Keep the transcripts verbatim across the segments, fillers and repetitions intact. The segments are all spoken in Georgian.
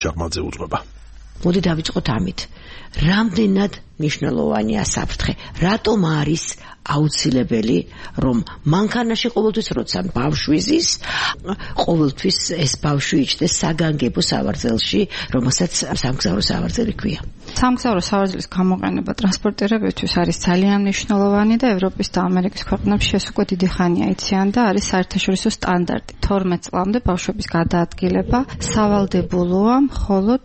ჟაღმაძე უძღვება. მოდი დავიწყოთ ამით. რამდენად მნიშვნელოვანია საფრთხე? რატომ არის აუცილებელი, რომ მანქანაში ყოველთვის როცა ბავშვი ზის, ყოველთვის ეს ბავშვი იჭდეს საგანგებო სავარძელში, რომელსაც სამგზავრო სავარძელი ქვია. სამგზავრო სავარძლის გამოყენება ტრანსპორტირებისთვის არის ძალიან მნიშვნელოვანი და ევროპის და ამერიკის ქვეყნებში ეს უკვე დიდი ხანია იციან და არის საერთაშორისო სტანდარტი. თორმეტ წლამდე ბავშვების გადაადგილება სავალდებულოა მხოლოდ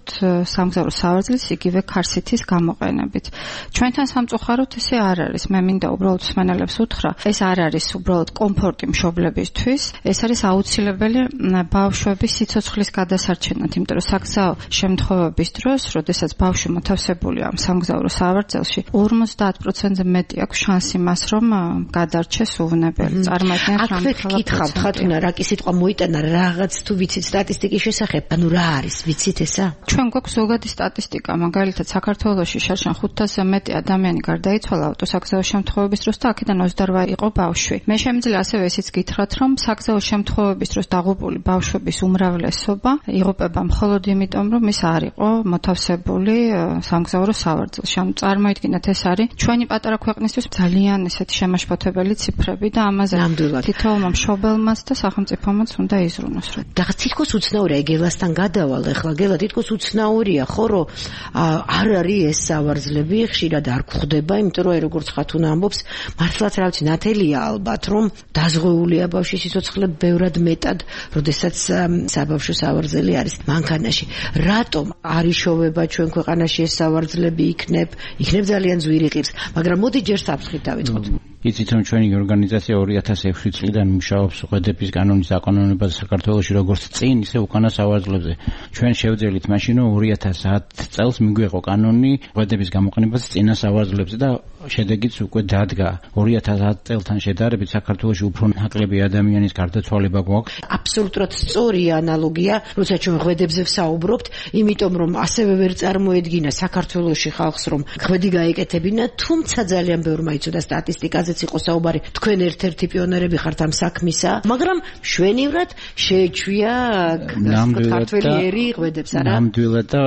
სამგზავრო სავარძლის იგივე ქარსითის გამოყენებით. ჩვენთან სამწუხაროდ ესე არ არის. მე მინდა უბრალოდ მსმენელებს უთხრა, ეს არ არის უბრალოდ კომფორტი მშობლებისთვის, ეს არის აუცილებელი ბავშვების სიცოცხლის გადასარჩენად, იმიტომ რომ საგზაო შემთხვევების დროს, როდესაც ბავშვი მოთავსებულია სამგზავრო სავარძელში, ორმოცდაათ პროცენტზე მეტი აქვს შანსი მას, რომ გადარჩეს უვნებელი. წარმოიდგინეთ, აქვე გითხავთ, ხათუნა, რა კი სიტყვა მოიტანა, რაღაც თუ ვიცით სტატისტიკის შესახებ, ანუ რა არის, ვიცით ესა? ჩვენ გვაქვს ზოგადი სტატისტიკა, მაგალითად საქართველოში შარშან ხუთასზე მეტი ადამიანი გარდაიცვალა ავტოსაგზაო შემთხვევების დროს და აქედან ოცდარვა იყო ბავშვი. მე შემიძლია ასევე ისიც გითხრათ, რომ საგზაო შემთხვევების დროს დაღუპული ბავშვების უმრავლესობა იღუპება მხოლოდ იმიტომ, რომ ის არ იყო მოთავსებული სამგზავრო სავარძელში. ანუ წარმოიდგინეთ, ეს არის ჩვენი პატარა ქვეყნისთვის ძალიან ესეთი შემაშფოთებელი ციფრები და ამაზე თითოეულმა მშობელმაც და სახელმწიფომაც უნდა იზრუნოს. და თითქოს უცნაურია, გელასთან გადავალ, ეხლა გელა თითქოს უცნაურია, ხო, რომ არ არის ეს სავარძლები, ხშირად არ გვხვდება, იმიტომ რომ როგორც ხათუნა ამბობს, მართლაც რა ვიცი, ნათელია ალბათ, რომ დაზღვეულია ბავშვის სიცოცხლე ბევრად მეტად, როდესაც საბავშვო სავარძელი არის მანქანაში. რატომ არ იშოვება ჩვენ ქვეყანაში ეს სავარძლები იქნებ, იქნებ ძალიან ძვირი ყირს, მაგრამ მოდი ჯერ საფრთხით დავიწყოთ. იცით, რომ ჩვენი ორგანიზაცია ორი ათას ექვსი წლიდან მუშაობს ღვედების კანონის საკანონმდებლობაზე საქართველოში, როგორც წინ, ისე უკანა სავარძლებზე. ჩვენ შევძელით მაშინ, რომ ორი ათას ათ წელს მიგვეყო კანონი ღვედების გამოყენებაზე წინა სავარძლებზე და შედეგიც უკვე დადგა. ორი ათას ათ წელთან შედარებით საქართველოში უფრო ნაკლები ადამიანის გარდაცვალება გვაქვს. აბსოლუტურად სწორი ანალოგია, როცა ჩვენ ღვედებზე ვსაუბრობთ, იმიტომ რომ ასევე ვერ წარმოედგინა საქართველოში ხალხს, რომ ღვედი გაეკეთებინა, თუმცა ძალიან ბევრმა იცოდა სტატისტიკაზე იყო საუბარი, თქვენ ერთ-ერთი პიონერები ხართ ამ საქმისა, მაგრამ მშვენივრად შეეჩვია ქართველი ერი ღვედებს, არა? ნამდვილად და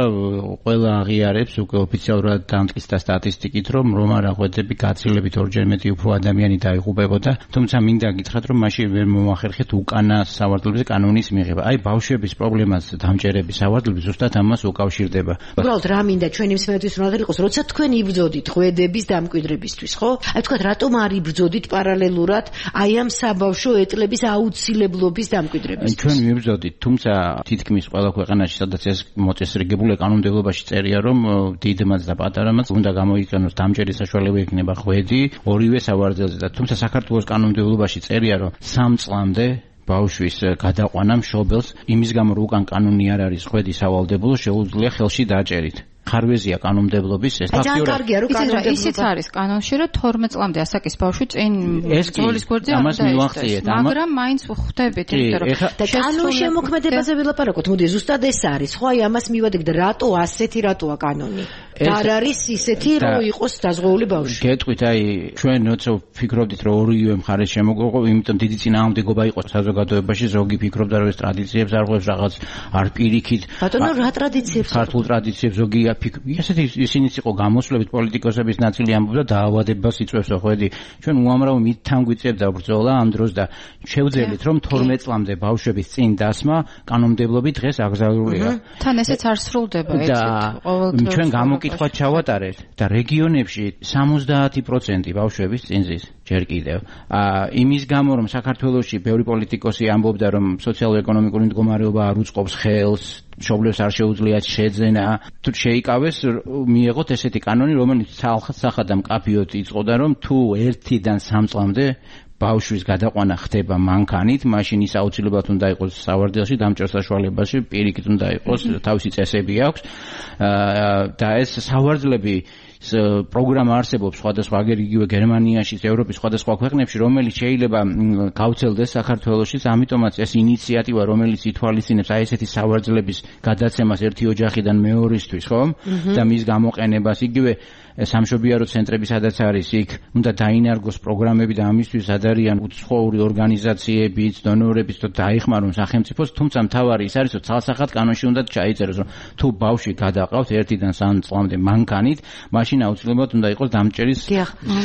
ყველა აღიარებს უკვე ოფიციალურად დამტკიცდა სტატისტიკით, რომ რომ არა ღვედები გაცილებით ორჯერ მეტი უფრო ადამიანი დაიღუპებოდა, თუმცა მინდა გითხრათ, რომ მაშინ ვერ მომახერხეთ უკანა სავარძლებზე კანონის მიღება. აი ბავშვების პრობლემას დამჭერების სავარძლები ზუსტად ამას უკავშირდება. უბრალოდ რა მინდა ჩვენი მსმენელთვის უნდა იყოს, როცა თქვენ იბრძოდით ღვედების დამკვიდრებისთვის, ხო? აი თქვათ, რატომ არ იბრძოდით პარალელურად აი ამ საბავშვო ეტლების აუცილებლობის დამკვიდრებისთვის? ჩვენ მიბრძოდით, თუმცა თითქმის ყველა ქვეყანაში, სადაც ეს მოწესრიგებული კანონმდებლობაში წერია, რომ დიდმაც და პატარამაც უნდა გამოიყენოს დამჭერის საშუალება იქნება ღვედი ორივე სავარძელზე და თუმცა საქართველოს კანონმდებლობაში წერია, რომ სამ წლამდე ბავშვის გადაყვანა მშობელს იმის გამო, რომ უკან კანონი არ არის ღვედი სავალდებულო, შეუძლია ხელში დააჭერით. ხარვეზია კანონმდებლობის ეს ფაქტიურად ისიც არის კანონში, რომ თორმეტ წლამდე ასაკის ბავშვი წინ ბრძოლის გვერდზე ამას მივახციეთ, მაგრამ მაინც ვხვდებით, იმიტომ რომ და კანონ შემოქმედებაზე ველაპარაკოთ. მოდი ზუსტად ეს არის, ხო, აი ამას მივადგეთ, რატო ასეთი რატოა კანონი? და არ არის ისეთი, რომ იყოს დაზღვეული ბავშვი. გეტყვით, აი ჩვენ როცა ვფიქრობდით, რომ ორივე მხარეს შემოგვეყო, იმიტომ დიდი წინააღმდეგობა იყო საზოგადოებაში, ზოგი ფიქრობდა, რომ ეს ტრადიციებს არ ღვევს, რაღაც არ პირიქით. ბატონო, რა ტრადიციებს? ქართულ ტრადიციებს ზოგი ისეთი ისინიც იყო გამოსვლებით პოლიტიკოსების ნაწილი ამბობდა დაავადებას იწვევს ღვედი. ჩვენ უამრავ მითთან გვიწევდა ბრძოლა ამ დროს და შევძელით, რომ თორმეტ წლამდე ბავშვების წინ დასმა კანონმდებლობით დღეს აკრძალულია. თან ესეც არ სრულდება ეცეთ ყოველდღიურად. ჩვენ გამოკითხვაც ჩავატარეთ და რეგიონებში სამოცდაათი პროცენტი ბავშვების წინ ზის. ჯერ კიდევ. იმის გამო, რომ საქართველოში ბევრი პოლიტიკოსი ამბობდა, რომ სოციალურ-ეკონომიკური მდგომარეობა არ უწყობს ხელს, მშობლებს არ შეუძლიათ შეძენა, თუ შეიკავეს, მიეღოთ ესეთი კანონი, რომელიც სახად და მკაფიოდ იწყოდა, რომ თუ ერთიდან სამ წლამდე ბავშვის გადაყვანა ხდება მანქანით, მაშინ ის აუცილებლად უნდა იყოს სავარძელში, დამჭერ საშუალებაში, პირიქით უნდა იყოს, თავისი წესები აქვს და ეს სავარძლები პროგრამა არსებობს სხვადასხვა აგერ იგივე გერმანიაში, ევროპის სხვადასხვა ქვეყნებში, რომელიც შეიძლება გავრცელდეს საქართველოშიც, ამიტომაც ეს ინიციატივა, რომელიც ითვალისწინებს აი ესეთი სავარძლების გადაცემას ერთი ოჯახიდან მეორისთვის, ხო? და მის გამოყენებას იგივე სამშობიარო ცენტრები სადაც არის იქ უნდა დაინარგოს პროგრამები და ამისთვის ადარიან უცხოური ორგანიზაციებიც, დონორებიც და დაიხმარონ სახელმწიფოს, თუმცა მთავარი ის არის, რომ ცალსახად კანონში უნდა ჩაიწეროს, რომ თუ ბავშვი გადაყავთ ერთიდან სამ წლამდე მანქანით, მაშინ აუცილებლად უნდა იყოს დამჭერის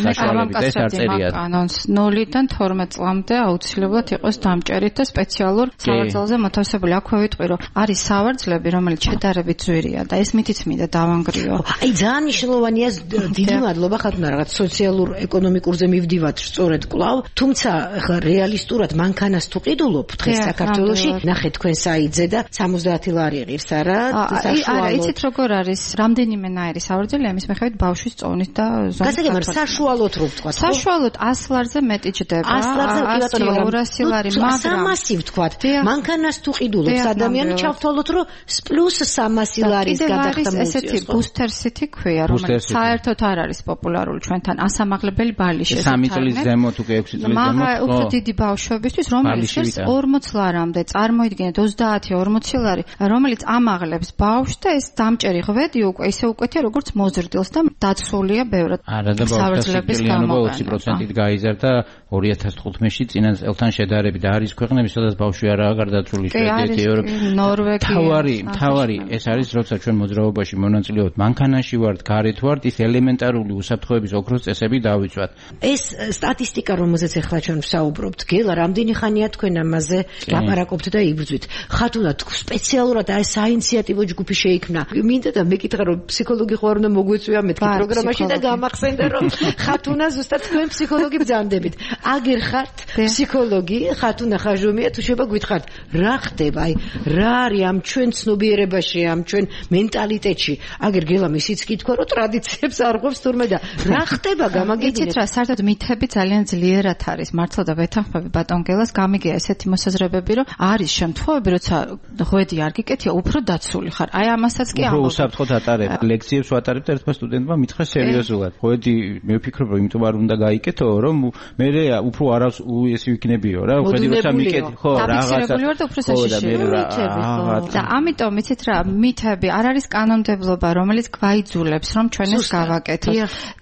საშუალებით და ეს არ წერია. კანონს ნულიდან თორმეტ წლამდე აუცილებლად იყოს დამჭერით და სპეციალურ სავარძელზე მოთავსებული. აქვე ვიტყვი, რომ არის სავარძლები, რომელიც შედარებით ძვირია და ეს მითიც მინდა დავანგრიო. აი ძალიან მნიშვნელოვანია დიდი მადლობა ხათუნა რაღაც სოციალურ ეკონომიკურზე მივდივართ სწორედ კვლავ, თუმცა ხა რეალისტურად მანქანას თუ ყიდულობ დღეს საქართველოში, ნახე თქვენ საიტზე და სამოცდაათი ლარი ღირს არა საშუალოდ. არა, იცით როგორ არის, რამდენიმე ნაირი სავარძელი ამის მიხედვით ბავშვის წონით და ზომით. გასაგებია, საშუალოდ რო ვთქვა. საშუალოდ ას ლარზე მეტი ჯდება. ას ლარზე კი ორასი ლარი, მაგრამ სამასი ვთქვა. მანქანას თუ ყიდულობს ადამიანი, ჩავთვალოთ რომ პლუს სამასი ლარის გადახდა მოუწიოს. ესეთი ბუსტერსიტი ქვია, რომელიც საერთოდ არ არის პოპულარული ჩვენთან, ასამაღლებელი ბალიში. სამი წლის ზემოთ უკვე ექვსი წლის ზემოთ. მაგრამ უფრო დიდი ბავშვებისთვის, რომელიც ორმოც ლარამდე, წარმოიდგინეთ ოცდაათი ორმოცი ლარი, რომელიც ამაღლებს ბავშვს და ეს დამჭერი ღვედი უკვე ისე უკეთია, როგორც მოზრდილს და დაცულია ბევრად. არა და ბავშვების გამო ოცი პროცენტით გაიზარდა ორი ათას თხუთმეტში წინა წელთან შედარებით და არის ქვეყნები, სადაც ბავშვი არაა გარდაცვლილი, შვედეთი, ევროპა, ნორვეგია. თავარი, თავარი ეს არის, როცა ჩვენ მოძრაობაში მონაწილეობთ, მანქანაში ვართ, გარეთ ვართ, ის ელემენტარული უსაფრთხოების ოქროს წესები დავიცვათ. ეს სტატისტიკა, რომელზეც ახლა ჩვენ ვსაუბრობთ, გელა, რამდენი ხანია თქვენ ამაზე ლაპარაკობთ და იბრძვით? ხათუნა, სპეციალურად აი საინიციატივო ჯგუფი შეიქმნა. მინდა და მეკითხა, რომ ფსიქოლოგი ხო არ უნდა მოგვეწვია მეთქი პროგრამაში და გამახსენდა, რომ ხათუნა ზუსტად თქვენ ფსიქოლოგი ბრძანდებით. აგერ ხართ ფსიქოლოგი, ხათუნა ხაჟომია, თუ შეიძლება გითხართ, რა ხდება, აი რა არის ამ ჩვენ ცნობიერებაში, ამ ჩვენ მენტალიტეტში. აგერ გელა ისიც კითხვა, რომ ტრადიციებს არ ღვევს თურმე და რა ხდება გამაგებინეთ. იცით რა, საერთოდ მითები ძალიან ძლიერად არის. მართლა და ვეთანხმები ბატონ გელას, გამიგია ესეთი მოსაზრებები, რომ არის შემთხვევები, როცა ღვედი არ გიკეთია, უფრო დაცული ხარ. აი ამასაც კი ამბობ. უფრო უსაფრთხოდ ატარებ. ლექციებს ვატარებ და ერთმა სტუდენტმა მითხრა სერიოზულად. ღვედი მე ვფიქრობ, რომ იმიტომ არ უნდა გაიკეთო, რომ მე უფრო არავს უესი ვიქნებიო რა. ღვედი როცა მიკეთე, ხო, რაღაცა. და ამიტომ იცით რა, მითები არ არის კანონმდებლობა, რომელიც გვაიძულებს, რომ ჩვენ ეს გავაკეთოთ.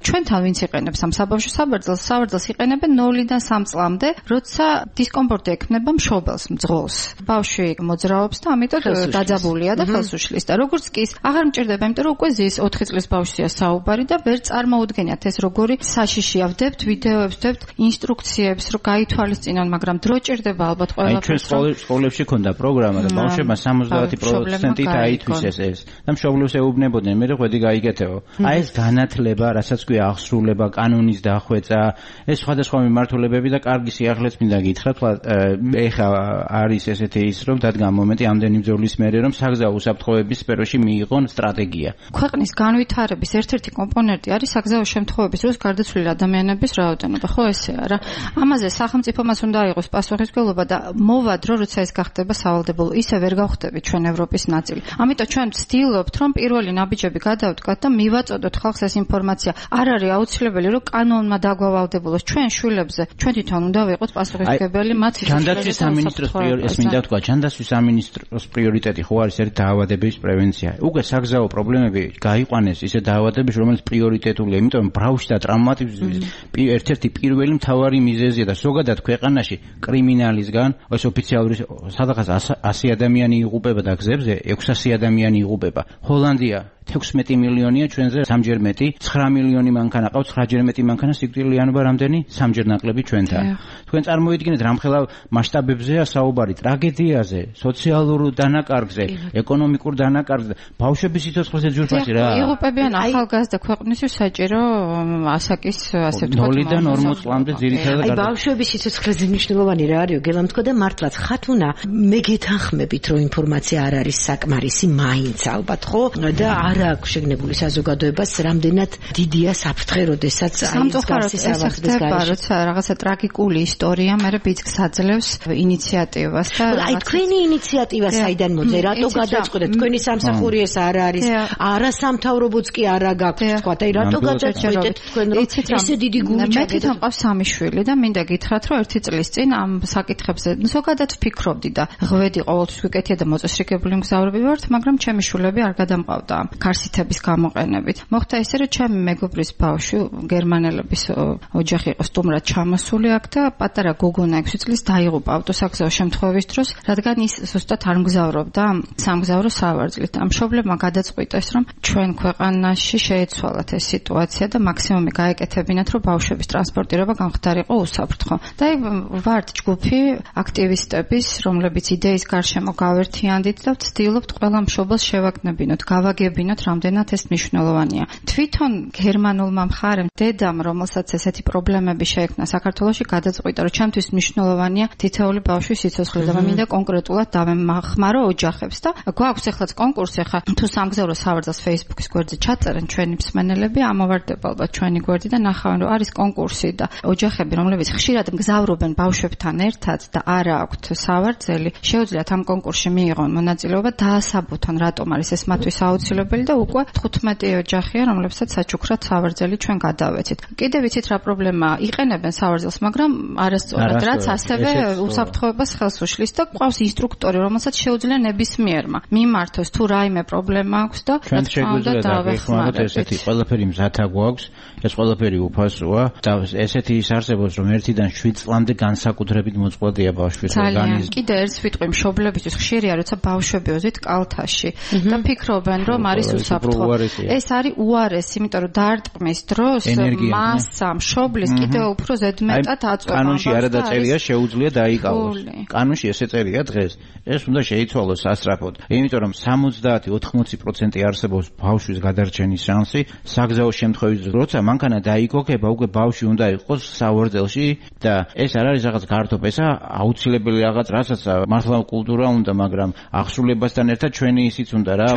ჩვენთან ვინც იყენებს ამ საბავშვო საბრძოლს, საბრძოლს იყენებენ ნულიდან სამ წლამდე, როცა დისკომფორტი ექმნება მშობელს, მძღოლს. ბავშვი მოძრაობს და ამიტომ დაძაბულია და ხელს უშლის და როგორც კი აღარ მჭირდება, იმიტომ რომ უკვე ზის ოთხი წლის ბავშვია საუბარი და ვერ წარმოუდგენიათ ეს როგორი საშიშია. ვდებთ ვიდეოებს, ვდებთ ინსტრუქციებს, რომ გაითვალისწინონ, მაგრამ დრო ჭირდება ალბათ ყველაფერს. აი ჩვენ სკოლებში ქონდა პროგრამა და ბავშვებმა სამოცდაათი პროცენტით აითვისეს ეს და მშობლებს ეუბნებოდნენ, მე ღვედი გაიგეთეო. აი ეს განათლება, რასაც ქვია აღსრულება, კანონის დახვეწა, ეს სხვადასხვა მიმართულებები და კარგი სიახლეც მინდა გითხრათ, ეხა არის ესეთი ის, რომ დადგა მომენტი ამდენი ბრძოლის მერე, რომ საგზაო უსაფრთხოების სფეროში მიიღონ სტრატეგია. ქვეყნის განვითარების ერთ-ერთი კომპონენტი არის საგზაო შემთხვევების დროს გარდაცვლილი ადამიანების რაოდენობა, ხო ესეა რა. ამაზე სახელმწიფომაც უნდა აიღოს პასუხისმგებლობა და მოვა დრო, როცა ეს გახდება სავალდებულო, ისე ვერ გავხდებით ჩვენ ევროპის ნაწილი. ამიტომ ჩვენ ვცდილობთ, რომ პირველი ნაბიჯები გადავდგათ და მივაწოდოთ ხალხს ეს ინფორმაცია. არ არის აუცილებელი, რომ კანონმა დაგვავალდებულოს ჩვენ შვილებზე. ჩვენ თვითონ უნდა ვიყოთ პასუხისმგებელი მათ ის. ჯანდაცვის სამინისტროს პრიორიტეტი, მინდა ვთქვა, ჯანდაცვის სამინისტროს პრიორიტეტი ხო არის ერთ დაავადების პრევენცია. უკვე საგზაო პრობლემები გაიყვანეს ისე დაავადების, რომელიც პრიორიტეტულია, იმიტომ რომ ბავშვი და ტრაუმატიზმის ერთ-ერთი პირველი მთავარი მიზეზია და ზოგადად ქვეყანაში კრიმინალისგან ეს ოფიციალური სადღაც ასი ადამიანი იღუპება და გზებზე ექვსასი ადამიანი იღუპება. ჰოლანდია ექვსმეტი მილიონია, ჩვენზე სამჯერ მეტი, ცხრა მილიონი მანქანა ყავს, ცხრაჯერ მეტი მანქანა, სიკვდილიანობა რამდენი? სამჯერ ნაკლები ჩვენთან. თქვენ წარმოიდგინეთ რამხელა მასშტაბებზეა საუბარი, ტრაგედიაზე, სოციალურ დანაკარგზე, ეკონომიკურ დანაკარგზე, ბავშვების სიცოცხლეზე ძვირფასი რა. იღუპებიან ახალგაზრდა ქვეყნისთვის საჭირო ასაკის ასე ვთქვათ. ნულიდან ორმოც წლამდე ძირითადად. აი ბავშვების სიცოცხლეზე მნიშვნელოვანი რა არის, გელამ თქვა და მართლაც ხათუნა, მე გეთანხმებით, რომ ინფორმაცია არ არის საკმარისი, მაინც ალბათ ხო? და არ აქვს შეგნებული საზოგადოებას რამდენად დიდია საფრთხე, როდესაც სამწუხაროდ ეს ხდება, როცა რაღაცა ტრაგიკული ისტორია მერე ბიძგს აძლევს ინიციატივას და აი თქვენი ინიციატივა საიდან მოძე, რატო გადაწყვეტეთ? თქვენი სამსახური ეს არ არის, არა სამთავრობოც კი არა გაქვთ, თქვა, აი რატო გადაწყვეტეთ თქვენ რომ ესე დიდი გული ჩაგეთ? მე თვითონ მყავს სამი შვილი და მინდა გითხრათ, რომ ერთი წლის წინ ამ საკითხებზე ზოგადად ვფიქრობდი და ღვედი ყოველთვის ვიკეთია და მოწესრიგებული მგზავრები ვართ, მაგრამ ჩემი შვილები არ გადამყავდა ქარსითების გამოყენებით. მოხდა ისე, რომ ჩემი მეგობრის ბავშვი გერმანელების ოჯახი იყო სტუმრად ჩამოსული აქ და პატარა გოგონა ექვსი წლის დაიღუპა ავტოსაგზაო შემთხვევის დროს, რადგან ის ზუსტად არ მგზავრობდა სამგზავრო სავარძლით. ამ მშობლებმა გადაწყვიტეს, რომ ჩვენ ქვეყანაში შეეცვალათ ეს სიტუაცია და მაქსიმუმი გაეკეთებინათ, რომ ბავშვების ტრანსპორტირება გამხდარიყო უსაფრთხო. და ვართ ჯგუფი აქტივისტების, რომლებიც იდეის გარშემო გავერთიანდით და ვცდილობთ ყველა მშობელს შევაგნებინოთ, გავაგებინოთ, რამდენად ეს მნიშვნელოვანია. თვითონ გერმანულმა მხარემ, დედამ, რომელსაც ესეთი პრობლემები შეექმნა საქართველოში, გადაწყვიტა, რომ ჩემთვის მნიშვნელოვანია თითოეული ბავშვის სიცოცხლე და მინდა კონკრეტულად დავემახმარო ოჯახებს და გვაქვს ეხლაც კონკურსი, ახლა თუ სამგზავრო სავარძელს Facebook-ის გვერდზე ჩაწერენ ჩვენი მსმენელები, ამოვარდება ალბათ ჩვენი გვერდი და ნახავენ, რომ არის კონკურსი და ოჯახები, რომლებიც ხშირად მგზავრობენ ბავშვებთან ერთად და არა აქვთ სავარძელი, შეუძლიათ ამ კონკურსში მიიღონ მონაწილეობა, დაასაბუთონ რატომ არის ეს მათთვის აუცილებელი და უკვე თხუთმეტი ოჯახია, რომლებსაც საჩუქრად სავარძელი ჩვენ გადავეცით. კიდე ვიცით რა პრობლემაა, იყენებენ სავარძელს, მაგრამ არასწორად, რაც ასევე უსაფრთხოებას ხელს უშლის და ყავს ინსტრუქტორი, რომელსაც შეუძლია ნებისმიერმა მიმართოს თუ რაიმე პრობლემა აქვს და ჩვენ შეგვიძლია დავეხმაროთ ესეთი ყველაფერი მზათა გვაქვს, ეს ყველაფერი უფასოა და ესეთი ის არსებობს, რომ ერთიდან შვიდ წლამდე განსაკუთრებით მოწყვლადია ბავშვის ორგანიზმი. კიდე ერთ ვიტყვი მშობლებისთვის ხშირია, როცა ბავშვები ოზით კალთაში და ფიქრობენ, რომ არის უსაფრთხო. ეს არის უარესი, იმიტომ რომ დარტყმის დროს მასა მშობლის კიდე უფრო ზედმეტად აწვება. კანონში არ დაწერია შეუძლია დაიკავოს. კანონში ესე წერია დღეს. ეს უნდა შეიცვალოს სასწრაფოდ. იმიტომ რომ სამოცდაათი ოთხმოცი პროცენტი არსებობს ბავშვის გადარჩენის შანსი, საგზაო შემთხვევის როცა მანქანა დაიგოგება, უკვე ბავშვი უნდა იყოს სავარძელში და ეს არ არის რაღაც გართობესა, აუცილებელი რაღაც, რასაც მართლა კულტურა უნდა, მაგრამ აღსრულებასთან ერთად ჩვენი ისიც უნდა რა,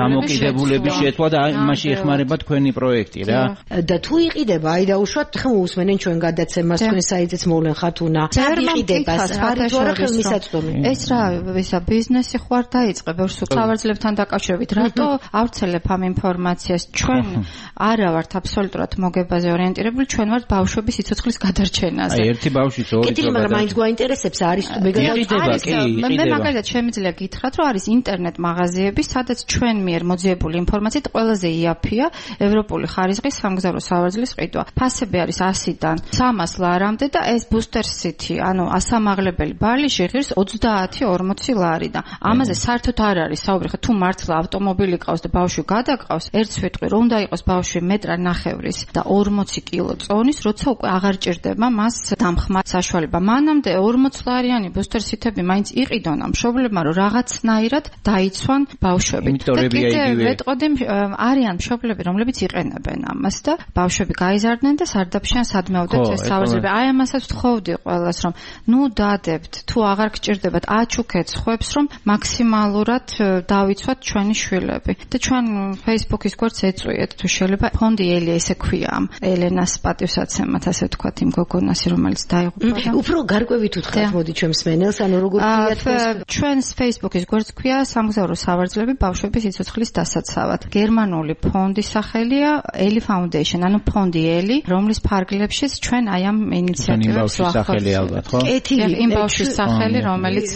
დამოკიდებულების შეცვლა და იმაში ეხმარება თქვენი პროექტი რა. და თუ იყიდება, აი დაუშვათ, ხომ უსმენენ ჩვენ გადაცემას, თქვენ საიტიც მოვლენ ხათუნა. არ იყიდება, არის თუ არა ხელმისაწვდომი. ეს რა, ისა ბიზნესი ხო არ დაიწყე ბევრს სავარძლებთან დაკავშირებით. რატო ავრცელებ ამ ინფორმაციას? ჩვენ არა ვართ აბსოლუტურად მოგებაზე ორიენტირებული, ჩვენ ვართ ბავშვების სიცოცხლის გადარჩენაზე. აი ერთი ბავშვის ორი წელი. მაგრამ მაინც გვაინტერესებს არის თუ მეგადა მე მაგალითად შემიძლია გითხრათ, რომ არის ინტერნეტ მაღაზიები, სადაც ჩვენ მიერ მოძიებული ინფორმაციით ყველაზე იაფია ევროპული ხარისხის სამგზავრო სავარძლის ყიდვა. ფასები არის ასიდან სამას ლარამდე და ეს ბუსტერ სიტი, ანუ ასამაღლებელი ბარლიში ღირს ოცდაათი ორმოცი ლარი და ამაზე საერთოდ არ არის საუბარი. თუ მართლა ავტომობილი ყავს და ბავშვი გადაყავს, ერთს ვიტყვი, რომ უნდა იყოს ბავშვი მეტრა ნახევრის და ორმოცი კილო წონის, როცა უკვე აღარ ჭირდება მას დამხმა საშუალება. მანამდე ორმოც ლარიანი ბუსტერ სიტები მაინც იყიდონ ამ მშობლებმა, რომ რაღაცნაირად დაიცვან ბავშვები. და კიდე ვეტყოდი, არიან მშობლები, რომლებიც იყენებენ ამას და ბავშვები გაიზარდნენ და სარდაფშიან სადმეოდეთ ეს სავარძლები. აი ამასაც ვთხოვდი ყველას, რომ ნუ დადებთ, თუ აღარ გჭირდებათ, აჩუქეთ ხვებს, რომ მაქსიმალურად დავიცვათ ჩვენი შვილები. და ჩვენ Facebook-ის გვერდს ეწვიეთ, თუ შეიძლება ფონდი ელია ესე ქვია ამ ელენას პატივსაცემად, ასე ვთქვათ, იმ გოგონას, რომელიც დაიღუპა. უფრო გარკვევით უთხრათ, მოდი ჩვენ მსმენელს, ანუ როგორ ქვია თქვენ ჩვენს Facebook-ის გვერდს ქვია სამგზავრო სავარძლები ბავშვების სიცოცხლის დასაცავად. გერმანული ფონდის სახელია Eli Foundation, ანუ ფონდი ელი, რომლის ფარგლებშიც ჩვენ აი ამ ინიციატივებს ვახორციელებთ. იმ ბავშვის სახელი, რომელიც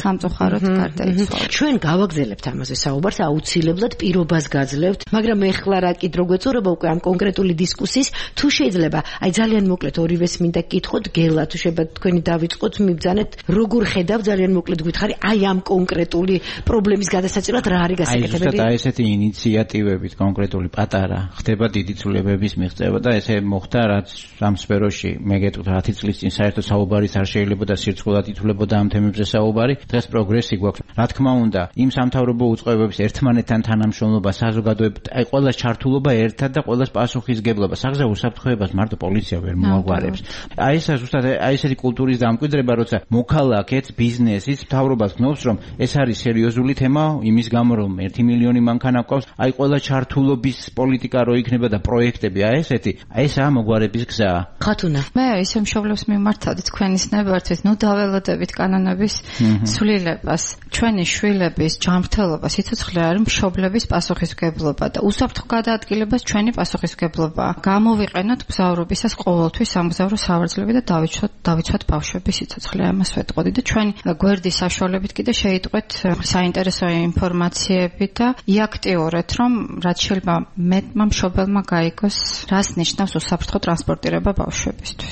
სამწუხაროდ გარდაიცვალა. ჩვენ გავაგზავნებთ ამაზე საუბარს, აუცილებლად პირობას გაძლევთ, მაგრამ ეხლა რა კიდრო გვეწურება უკვე ამ კონკრეტული დისკუსიის, თუ შეიძლება, აი ძალიან მოკლედ ორივეს მინდა გკითხოთ, გელა, თუ შეიძლება თქვენი დავიწყოთ, მიბძანეთ, როგორ ხედავ ძალიან მოკლედ გითხარი, აი ამ კონკრეტული პრობლემის გადასაჭრელად რა არის გასაკეთებელი? აი ზუსტად აი ესეთი ინიციატივებით კონკრეტული პატარა ხდება დიდი ცვლილებების მიღწევა და ესე მოხდა, რაც ამ სფეროში მე გეტყვით ათი წლის წინ საერთოდ საუბარიც არ შეიძლება და სირცხულად ითვლებოდა ამ თემებზე საუბარი. დღეს პროგრესი გვაქვს. რა თქმა უნდა, იმ სამთავრობო უწყებების ერთმანეთთან თანამშრომლობა, საზოგადოებრივ, აი ყოველას ჩართულობა ერთად და ყოველას პასუხისგებლობა. საგზაო უსაფრთხოებას მარტო პოლიცია ვერ მოაგვარებს. აი ეს ზუსტად აი ესეთი კულტურის დამკვიდრება, როცა მოქალაქეც, ბიზნესიც, მთავრობას გნობს, რომ ეს არის სერიოზული თემა, იმის გამო რომ ერთი მილიონი მანქანა გვყავს, აი ყველა ჩართულობის პოლიტიკა რო იქნება და პროექტები აი ესეთი, აი ესაა მოგვარების გზა. ხათუნა. მე ისე მშობლებს მიმართავდი თქვენის ნებართვით, ნუ დაველოდებით კანონების ცვლილებას. ჩვენი შვილების ჯანმრთელობა, სიცოცხლე არის მშობლების პასუხისმგებლობა და უსაფრთხო გადაადგილებას ჩვენი პასუხისმგებლობაა. გამოვიყენოთ მგზავრობისას ყოველთვის სამგზავრო სავარძლები და დავიცვათ დავიცვათ ბავშვების სიცოცხლე. ამას ვეტყოდი და ჩვენი გვერდის საშუალებით კიდე შეიტყვეთ საინტერესო ინფორმაციები და იაქტიურეთ, რომ რაც შეიძლება მეტმა მშობელმა გაიგოს, რას ნიშნავს უსაფრთხო ტრანსპორტირება ბავშვებისთვის.